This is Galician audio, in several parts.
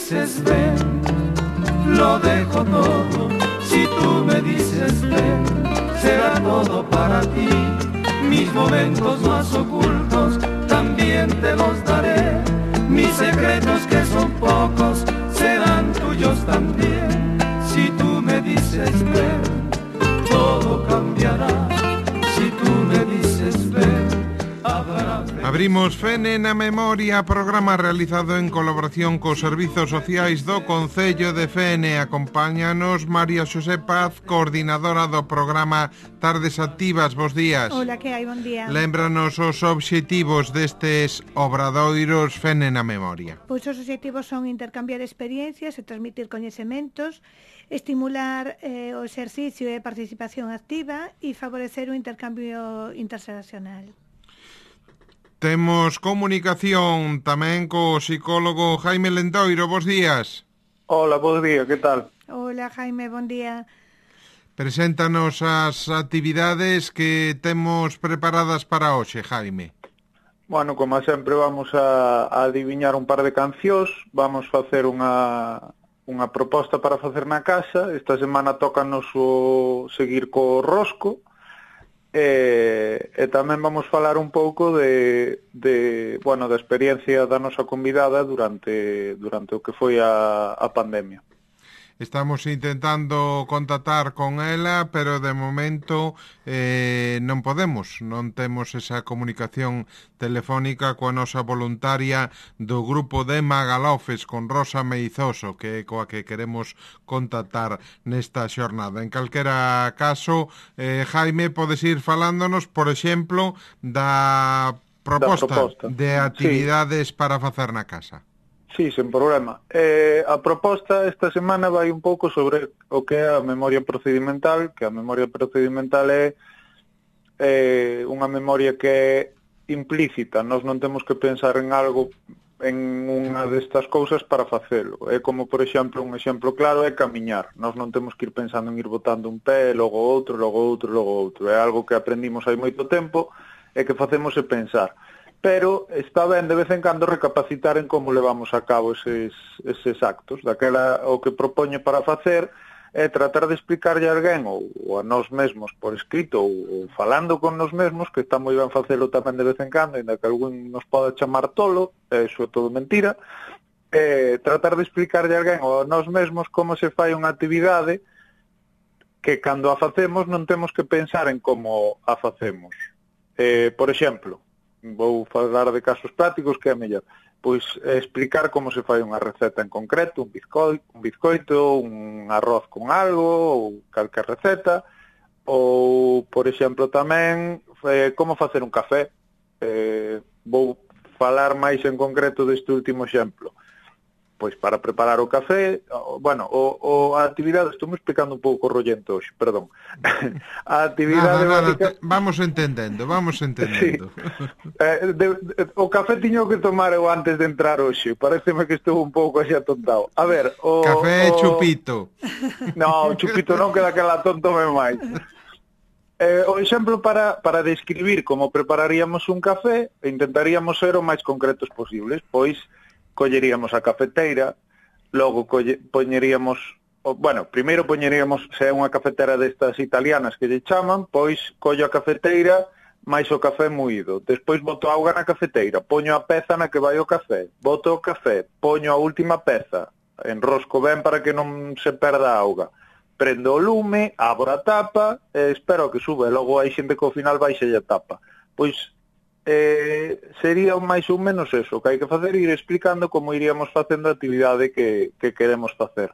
dices ven, lo dejo todo. Si tú me dices ven, será todo para ti. Mis momentos más ocultos también te los daré. Mis secretos que son pocos serán tuyos también. Si tú me dices ven, todo cambiará. Si tú me dices ven, habrá... Abrimos Fene na Memoria, programa realizado en colaboración cos servizos sociais do Concello de Fene. Acompáñanos María Xosé Paz, coordinadora do programa Tardes Activas. Bos días. Hola, que hai? Bon día. Lémbranos os obxectivos destes obradoiros Fene na Memoria. Pois os obxectivos son intercambiar experiencias e transmitir coñecementos, estimular o exercicio e participación activa e favorecer o intercambio interxeracional. Temos comunicación tamén co psicólogo Jaime Lendoiro. Bos días. Hola, bos días, que tal? Hola, Jaime, bon día. Preséntanos as actividades que temos preparadas para hoxe, Jaime. Bueno, como sempre vamos a adiviñar un par de cancións, vamos facer unha proposta para facer na casa. Esta semana tócanos seguir co rosco, e tamén vamos falar un pouco da experiencia da nosa convidada durante o que foi a pandemia. Estamos intentando contactar con ela, pero de momento non podemos. Non temos esa comunicación telefónica coa nosa voluntaria do grupo de Magalofes con Rosa Meizoso, que é coa que queremos contactar nesta xornada. En calquera caso, Jaime, podes ir falándonos, por exemplo, da proposta de actividades para facer na casa. Sí, sen problema. A proposta esta semana vai un pouco sobre o que é a memoria procedimental, que a memoria procedimental é unha memoria que é implícita. Nós non temos que pensar en algo, en unha destas cousas para facelo. É como, por exemplo, un exemplo claro é camiñar. Nós non temos que ir pensando en ir botando un pé, logo outro, logo outro, logo outro. É algo que aprendimos hai moito tempo e que facemos é pensar. Pero está ben de vez en cando recapacitar en como levamos a cabo eses actos. Daquela, o que propoño para facer é tratar de explicarlle a alguén ou a nós mesmos por escrito ou falando con nós mesmos, que está moi ben facelo tamén de vez en cando, ainda que algún nos poda chamar tolo, eso é todo mentira, tratar de explicarlle a alguén ou a nós mesmos como se fai unha actividade que cando a facemos non temos que pensar en como a facemos. Por exemplo, vou falar de casos prácticos que é mellor. Pois explicar como se fai unha receta en concreto, un bizcoito, un arroz con algo, ou calquer receta, ou, por exemplo, tamén como facer un café. Vou falar máis en concreto deste último exemplo. Pois para preparar o café, a actividade, estou me explicando un pouco rollento hoxe, perdón. A actividade básica... Vamos entendendo. Sí. O café tiño que tomar eu antes de entrar hoxe, pareceme que estou un pouco así atontado. A ver, café e chupito. No, chupito non, que daquela tontome máis. O exemplo para describir como prepararíamos un café, intentaríamos ser o máis concretos posibles, pois colleríamos a cafeteira, logo poñeríamos, primeiro poñeríamos, se é unha cafetera destas italianas que lle chaman, pois collo a cafeteira máis o café moído, despois boto auga na cafeteira, poño a peza na que vai o café, boto o café, poño a última peza, enrosco ben para que non se perda a auga, prendo o lume, abro a tapa, espero que sube, logo hai xente que ao final baixe a tapa. Pois sería máis ou menos eso, que hai que facer, ir explicando como iríamos facendo a actividade que queremos facer.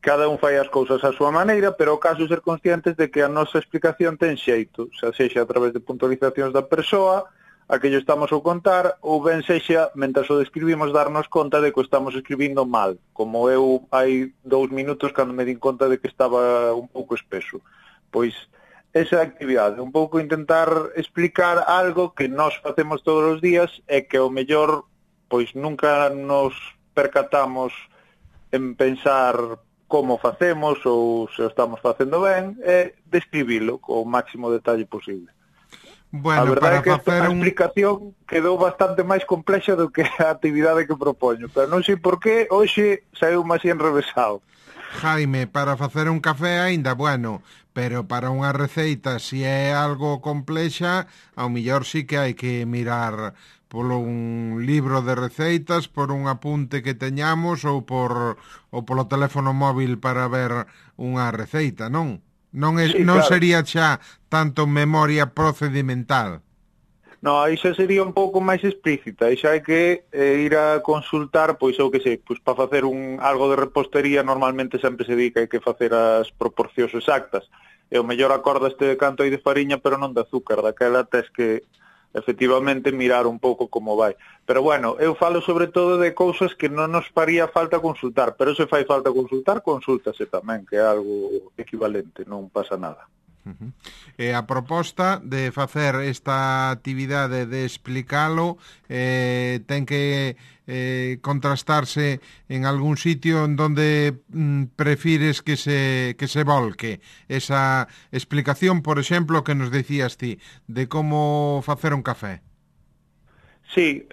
Cada un fai as cousas á súa maneira, pero o caso é ser conscientes de que a nosa explicación ten xeito, xa sexa a través de puntualizacións da persoa, a que lle estamos a contar, ou ben sexa, mentras o describimos, darnos conta de que o estamos escribindo mal, como eu hai 2 minutos cando me din conta de que estaba un pouco espeso. Pois esa actividade, un pouco intentar explicar algo que nós facemos todos os días e que ao mellor pois nunca nos percatamos en pensar como facemos ou se o estamos facendo ben, e describilo co máximo detalle posible. Bueno, a verdade para é que facer a explicación quedou bastante máis complexa do que a actividade que propoño, pero non sei por qué hoxe saiu máis enrevesado. Jaime, para facer un café aínda, bueno, pero para unha receita, se é algo complexa, ao millor sí que hai que mirar polo un libro de receitas, por un apunte que teñamos ou polo teléfono móvil para ver unha receita, non? Non Sí, non claro. sería xa tanto memoria procedimental. No, aí xa sería un pouco máis explícita, aí xa hai que ir a consultar, pois eu que sei, pois para facer algo de repostería normalmente sempre se di que hai que facer as proporcións exactas. E o mellor acordaste de canto hai de fariña, pero non de azúcar, daquela tes que efectivamente mirar un pouco como vai. Pero bueno, eu falo sobre todo de cousas que non nos faría falta consultar, pero se fai falta consultar, consúltase tamén, que é algo equivalente, non pasa nada. E a proposta de facer esta actividade de explicalo ten que contrastarse en algún sitio en donde prefires que se volque esa explicación, por exemplo, que nos decías ti, de como facer un café. Sí,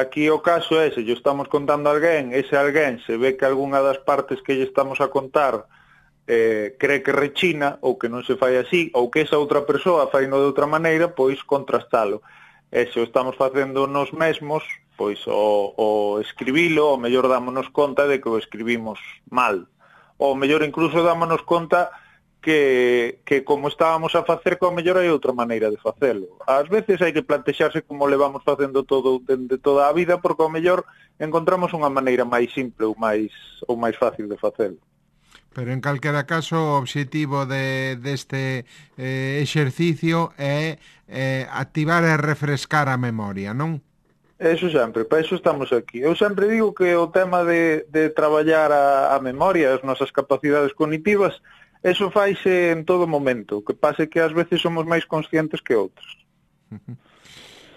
aquí o caso é, se lle estamos contando a alguén, ese alguén se ve que algunha das partes que lle estamos a contar cree que rechina ou que non se fai así ou que esa outra persoa faino de outra maneira, pois contrastalo. E se o estamos facendo nos mesmos, pois o escribilo, o mellor dámonos conta de que o escribimos mal. Ou mellor incluso dámonos conta que como estábamos a facer, que o mellor hai outra maneira de facelo. Ás veces hai que plantexarse como levamos facendo todo dende toda a vida, porque o mellor encontramos unha maneira máis simple ou máis fácil de facelo. Pero en calquera caso o obxectivo deste exercicio é activar e refrescar a memoria, non? Eso sempre, para eso estamos aquí. Eu sempre digo que o tema de traballar a memoria, as nosas capacidades cognitivas, eso faise en todo momento, que pase que ás veces somos máis conscientes que outros.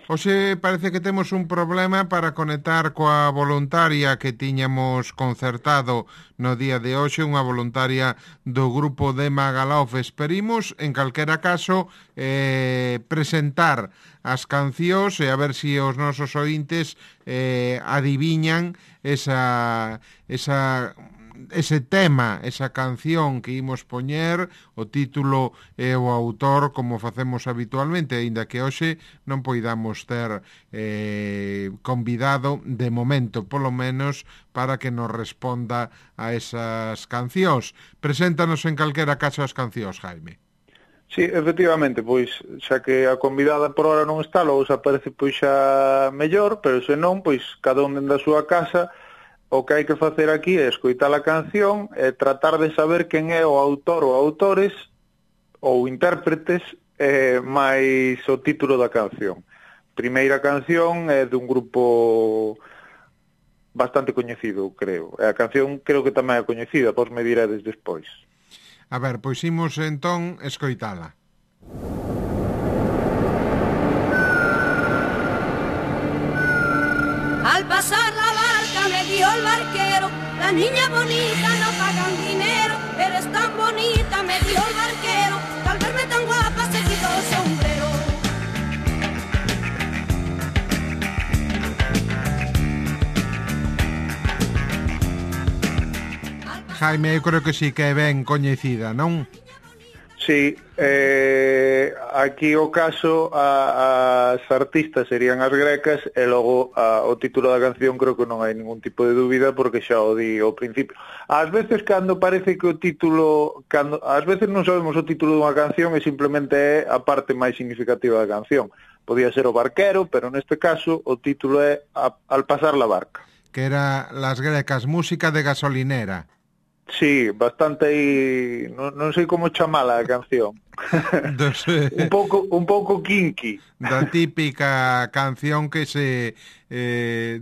Hoxe parece que temos un problema para conectar coa voluntaria que tiñamos concertado no día de hoxe, unha voluntaria do grupo de Magaluf. Esperimos, en calquera caso, presentar as cancións e a ver se os nosos ointes adiviñan ese tema, esa canción que imos poñer, o título e o autor, como facemos habitualmente, aínda que hoxe non poidamos ter convidado de momento, polo menos, para que nos responda a esas cancións. Preséntanos en calquera caso as cancións, Jaime. Sí, efectivamente, pois xa que a convidada por hora non está, logo se aparece pois xa mellor, pero se non, pois cada un dende a súa casa. O que hai que facer aquí é escoitar a canción e tratar de saber quen é o autor ou autores ou intérpretes máis o título da canción. Primeira canción é dun grupo bastante coñecido, creo. E a canción creo que tamén é coñecida, vos me diredes despois. A ver, pois imos entón escoitala. Al pasar la barca me dio el barquero, las niñas bonitas no pagan dinero, eres tan bonita, me dio el barquero, que al verme tan guapa se quitó el sombrero. Jaime, eu creo que sí que é ben coñecida, non? Sí, aquí o caso as artistas serían as grecas e logo o título da canción creo que non hai ningún tipo de dúbida porque xa o di ao principio. Ás veces cando parece que o título, ás veces non sabemos o título dunha canción e simplemente é a parte máis significativa da canción. Podía ser o barquero, pero neste caso o título é Al pasar la barca. Que era Las Grecas, música de gasolinera. Sí, bastante aí, non sei como chamala a canción. un pouco kinky. Da típica canción que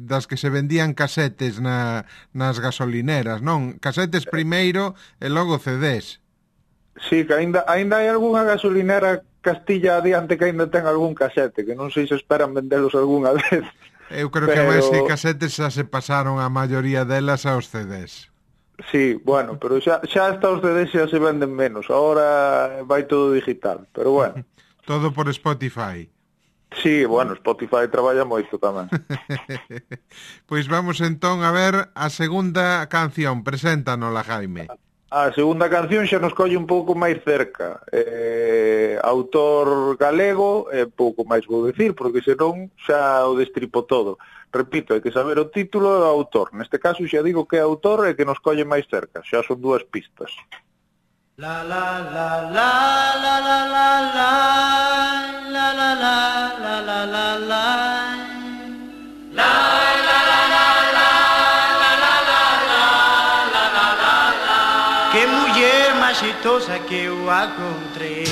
das que se vendían casetes nas gasolineras, non? Casetes primeiro e logo CDs. Sí, que aínda hai algunha gasolinera Castilla adiante que aínda ten algún casete, que non sei se esperan vendelos algunha vez. Eu creo que máis que casetes xa se pasaron a maioría delas aos CDs. Sí, bueno, pero xa hasta os CDs xa se venden menos. Ahora vai todo digital, pero bueno. Todo por Spotify. Sí, bueno, Spotify traballa moito tamén. Pois vamos entón a ver a segunda canción. Preséntanola, Jaime. A segunda canción xa nos colle un pouco máis cerca. Autor galego, pouco máis vou dicir, porque senón xa o destripo todo. Repito, hai que saber o título e o autor. Neste caso xa digo que é autor e que nos colle máis cerca. Xa son 2 pistas. La la la la la la la la la la la la la la la que muller máis xeitosa que eu encontrei.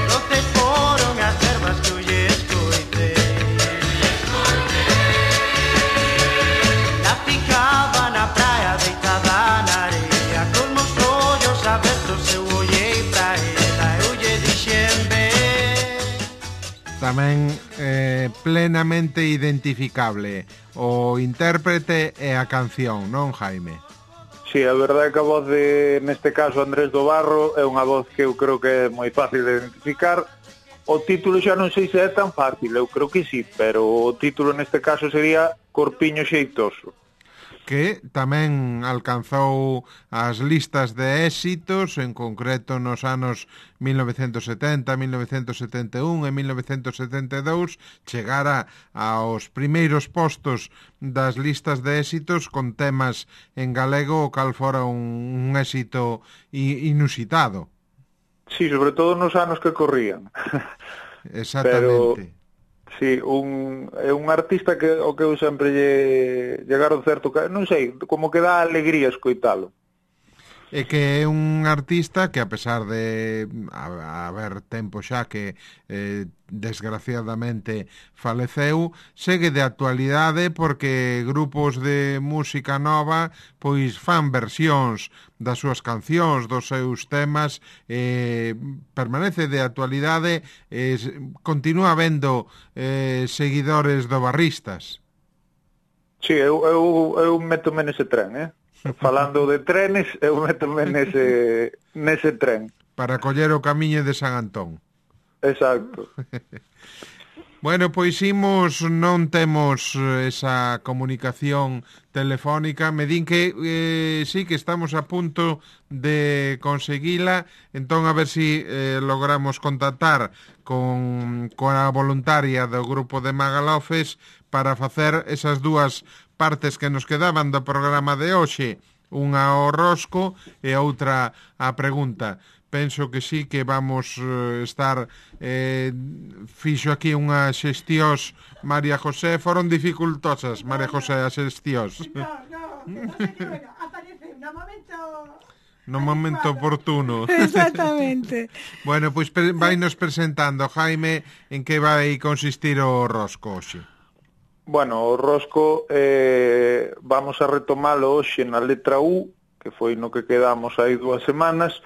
Doces foron as verbas que eu lle escoitei. La picaba na praia deitada na areia, con meus ollos abertos eu ollei pra ela, eu lle dixen ben. Tamén plenamente identificable o intérprete e a canción, non, Jaime? Sí, a verdade é que a voz de, neste caso, Andrés do Barro, é unha voz que eu creo que é moi fácil de identificar. O título xa non sei se é tan fácil, eu creo que sí, pero o título neste caso sería Corpiño Xeitoso. Que tamén alcanzou as listas de éxitos, en concreto nos anos 1970, 1971 e 1972, chegara aos primeiros postos das listas de éxitos con temas en galego, o cal fora un éxito inusitado. Sí, sobre todo nos anos que corrían. Exactamente. Pero... Sí, é un artista que o que eu sempre lle garo certo, non sei, como que dá alegría escoitalo. É que é un artista que, a pesar de haber tempo xa que desgraciadamente faleceu, segue de actualidade porque grupos de música nova pois fan versións das súas cancións, dos seus temas, permanece de actualidade, continúa habendo seguidores do barristas. Sí, eu métome nese tren, Falando de trenes, eu métome nese tren. Para coller o camiño de San Antón. Exacto. Bueno, pois imos, non temos esa comunicación telefónica. Me din que sí, que estamos a punto de conseguila. Entón, a ver si logramos contactar coa voluntaria do grupo de Magalofes para facer esas 2 partes que nos quedaban do programa de hoxe, unha ao rosco e a outra a pregunta. Penso que sí que vamos estar fixo aquí unhas xestións María José, foron dificultosas María José as xestións. No, aparece no momento oportuno. Exactamente. Bueno, pois vainos presentando, Jaime, en que vai consistir o rosco hoxe. Bueno, o rosco vamos a retomalo hoxe na letra U, que foi no que quedamos aí 2 semanas.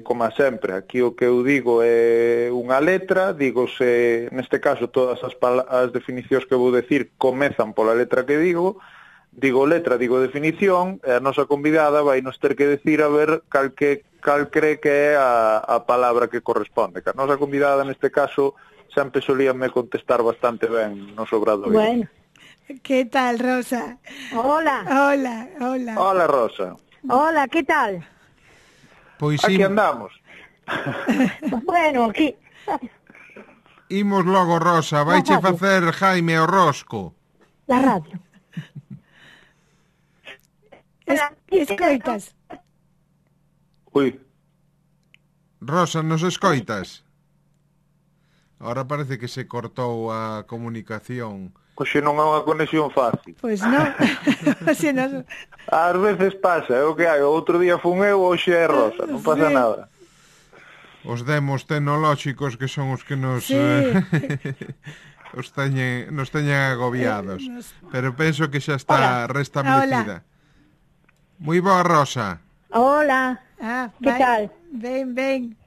Como sempre, aquí o que eu digo é unha letra, dígose, neste caso todas as definicións que vou decir comezan pola letra que digo letra, digo definición, e a nosa convidada vai nos ter que decir a ver cal cree que é a palabra que corresponde, que a nosa convidada neste caso sempre solíame contestar bastante ben nos obradoiros. Bueno, que tal, Rosa? Hola. Hola, Rosa. Hola, que tal? Pois aquí andamos. Bueno, aquí. Imos logo, Rosa, vaiche facer Jaime o rosco. La radio. Escoitas. Ui. Rosa, nos escoitas? Ahora parece que se cortou a comunicación. Oxe non é unha conexión fácil. Pois non. Ás veces pasa, é o que hai. Outro día fun eu, hoxe é Rosa, non pasa nada. Os demos tecnolóxicos que son os que nos nos teñen agobiados. Pero penso que xa está restablecida. Moi boa, Rosa. Hola. Que tal? Ben.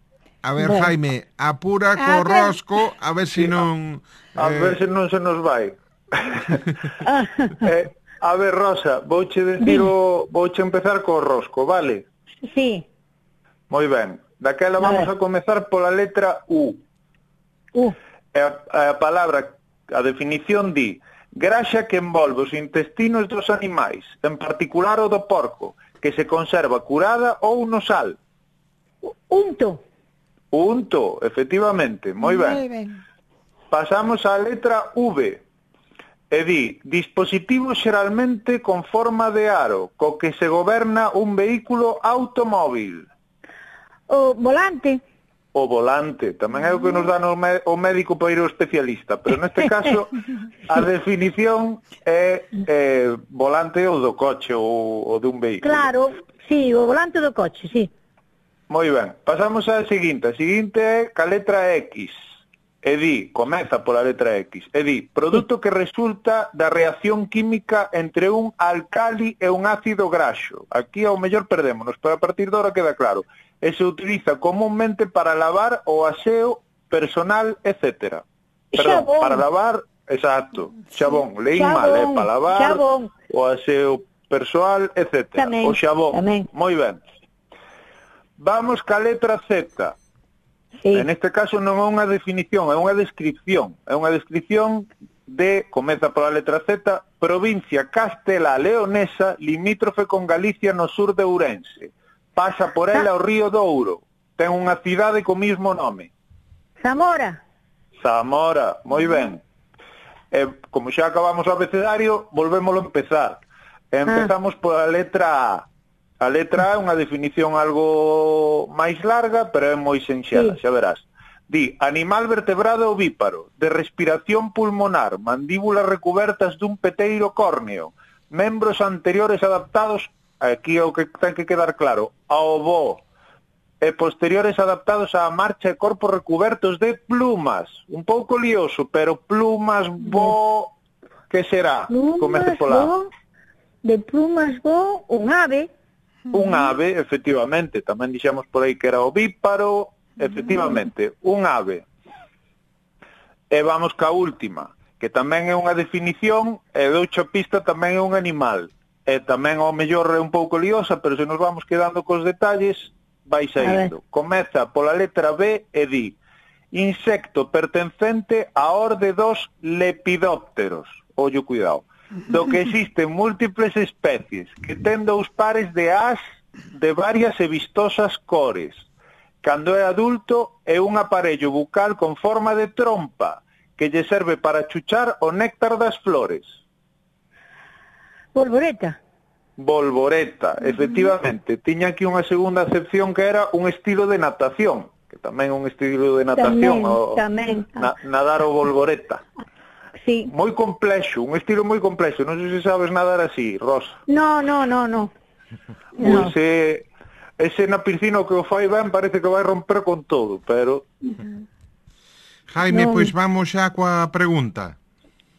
A ver, Jaime, apura co rosco, a ver se non... A ver se non se nos vai. A ver, Rosa, vouche empezar co rosco, vale? Sí. Moi ben. Daquela vamos a comezar pola letra U. A palabra, a definición di: graxa que envolve os intestinos dos animais, en particular o do porco, que se conserva curada ou no sal. Unto. Unto, efectivamente, moi ben. Pasamos á letra V. E di: dispositivo xeralmente con forma de aro, co que se goberna un vehículo automóvil. O volante. O volante, tamén é o que nos dá o médico para ir ao especialista, pero neste caso a definición é volante ou do coche ou dun vehículo. Claro, sí, o volante do coche, sí. Moi ben, pasamos á seguinte. A seguinte é ca letra X. E di, comeza pola letra X, e di: produto que resulta da reacción química entre un alcali e un ácido graxo. Aquí ao mellor perdémonos, pero a partir de ahora queda claro. E se utiliza comúnmente para lavar o aseo personal, etc. Perdón, xabón. Para lavar, exacto, xabón. Leín mal, para lavar, xabón. O aseo persoal, etc. Tamén, o xabón, moi ben. Vamos ca letra Z. Sí. En este caso non é unha definición, é unha descripción. É unha descripción de, comeza pola letra Z, provincia Castela Leonesa, limítrofe con Galicia no sur de Ourense. Pasa por ela o río Douro. Ten unha cidade co mismo nome. Zamora. Zamora, moi ben. Como xa acabamos o abecedario, volvémoslo a empezar. Empezamos pola letra A. A letra A é unha definición algo máis larga, pero é moi sinxela, xa verás. Di: animal vertebrado ovíparo, de respiración pulmonar, mandíbulas recubertas dun peteiro córneo, membros anteriores adaptados, aquí é o que ten que quedar claro, ao voo, e posteriores adaptados á marcha e corpos recubertos de plumas. Un pouco lioso, pero plumas, voo, que será? Comece pola. De plumas, voo, un ave. Un ave, efectivamente, tamén dixemos por aí que era ovíparo, efectivamente, un ave. E vamos ca última, que tamén é unha definición, e doucha pista tamén é un animal. E tamén ao mellor é un pouco liosa, pero se nos vamos quedando cos detalles, vai saindo. Comeza pola letra B e di: insecto pertencente á orde dos lepidópteros. Ollo, cuidado. Do que existen múltiples especies, que ten 2 pares de ás de varias e vistosas cores. Cando é adulto, é un aparello bucal con forma de trompa, que lle serve para chuchar o néctar das flores. Bolboreta. Bolboreta, efectivamente. Tiña aquí unha segunda acepción que era un estilo de natación, que tamén é un estilo de natación, tamén. Nadar o bolboreta. Sí. Moi complexo, un estilo moi complexo. Non sei se sabes nadar así, Rosa. No. Pois ese na piscina que o fai ben parece que vai romper con todo, pero... Jaime, pois vamos xa coa pregunta.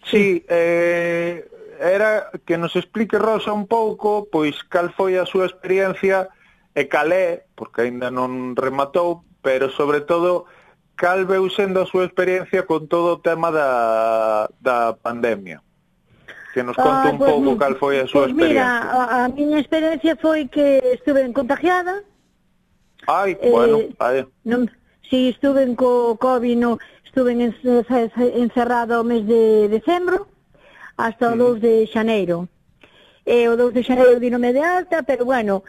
Sí, era que nos explique Rosa un pouco, pois cal foi a súa experiencia e cal é, porque aínda non rematou, pero sobre todo cal veu sendo a súa experiencia con todo o tema da pandemia. Que nos conte un pouco cal foi a súa experiencia. Mira, a miña experiencia foi que estuve contagiada. Bueno, vale. Si estuve co COVID, estuve encerrada o mes de decembro hasta o 2 de xaneiro. O 2 de xaneiro dinome de alta, pero bueno,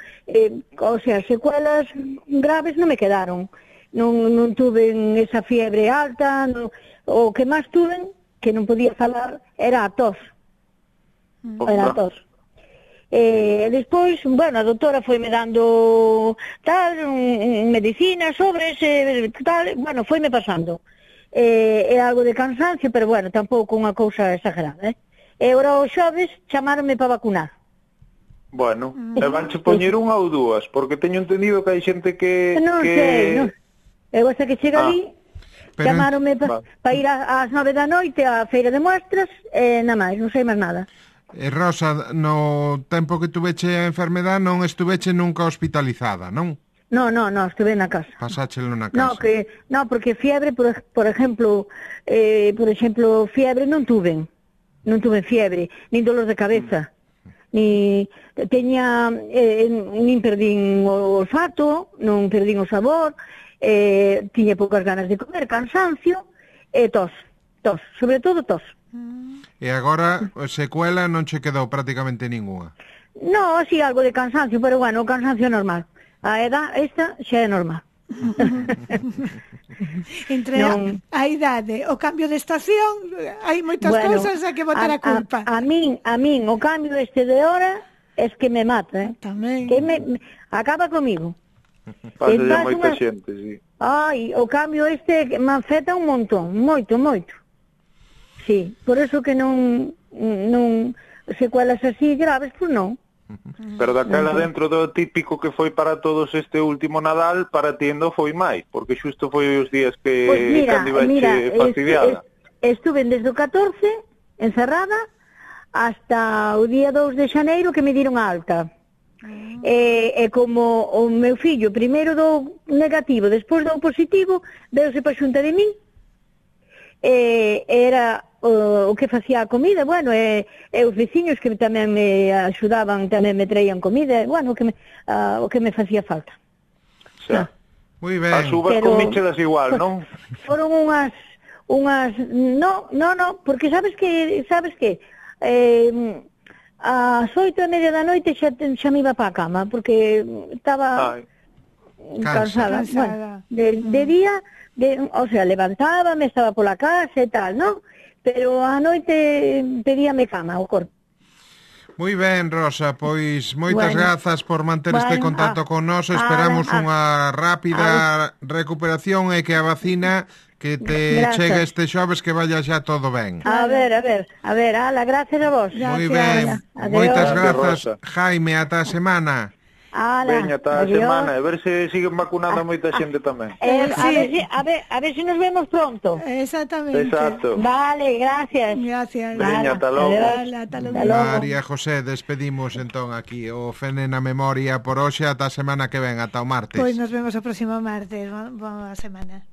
o sea, secuelas graves non me quedaron. Non tuve esa fiebre alta, o que máis tuve, que non podía falar, era a tos. Era a tos. Despois, bueno, a doutora foime dando tal, medicina, sobres, tal, bueno, foime pasando. É algo de cansancio, pero bueno, tampouco unha cousa exagerada, E ora os xoves chamaronme para vacunar. Bueno, e vanche poñer unha ou dúas, porque teño entendido que hai xente que... Non sei, non. Eu hasta que chega ali, chamaronme para ir ás 9 da noite á feira de muestras, e nada máis, non sei máis nada. Rosa, no tempo que tuveche a enfermedade non estuveche nunca hospitalizada, non? No, estuve na casa. Pasáchelo na casa. Porque fiebre, por exemplo, fiebre non tuve fiebre, nin dolor de cabeza. nin perdín o olfato, non perdín o sabor, tiña poucas ganas de comer, cansancio e tos, sobre todo tos. E agora, secuela non che quedou prácticamente ninguna? No, así algo de cansancio, pero bueno, o cansancio é normal. A edad esta xa é normal. Entre a idade, o cambio de estación, hai moitas cousas a que botar a culpa. A min, o cambio este de hora es que me mata, Tamén. Que acaba comigo. Pasa de moita xente, sí. Ai, o cambio este me afecta un montón, moito. Sí, por eso que non secuelas así graves, pues non. Pero daquela dentro do típico que foi para todos este último Nadal, para ti non foi máis, porque xusto foi os días que cando ibache fastidiada. Estuve desde o 14 encerrada hasta o día 2 de xaneiro que me diron a alta. E como o meu fillo primeiro dou negativo, despois dou positivo, veuse pa xunta de min, era o que facía a comida, bueno, e os veciños que tamén me axudaban, tamén me traían comida, bueno, o que me facía falta. Xa. Moi ben. As uvas comíchelas igual, non? Foron unhas no, porque sabes que ás 8:30 da noite xa me iba para a cama, porque estaba cansada. Bueno, de día, o sea, levantábame, estaba pola casa e tal, non? Pero a noite pedíame cama o corpo. Moi ben, Rosa, pois moitas grazas por manter este contacto con nós. Esperamos unha rápida recuperación e que a vacina que te chegue este xoves que vaya xa todo ben. A ver, ala, gracias a vos. Moi ben, moitas grazas, Jaime, ata a semana. Veña, ata a semana, a ver se siguen vacunando a moita xente tamén. A ver se nos vemos pronto. Exactamente. Exacto. Vale, gracias. Veña, ata logo. María José, despedimos entón aquí o Fene na Memoria por hoxe, ata a semana que ven, ata o martes. Pois nos vemos o próximo martes, boa semana.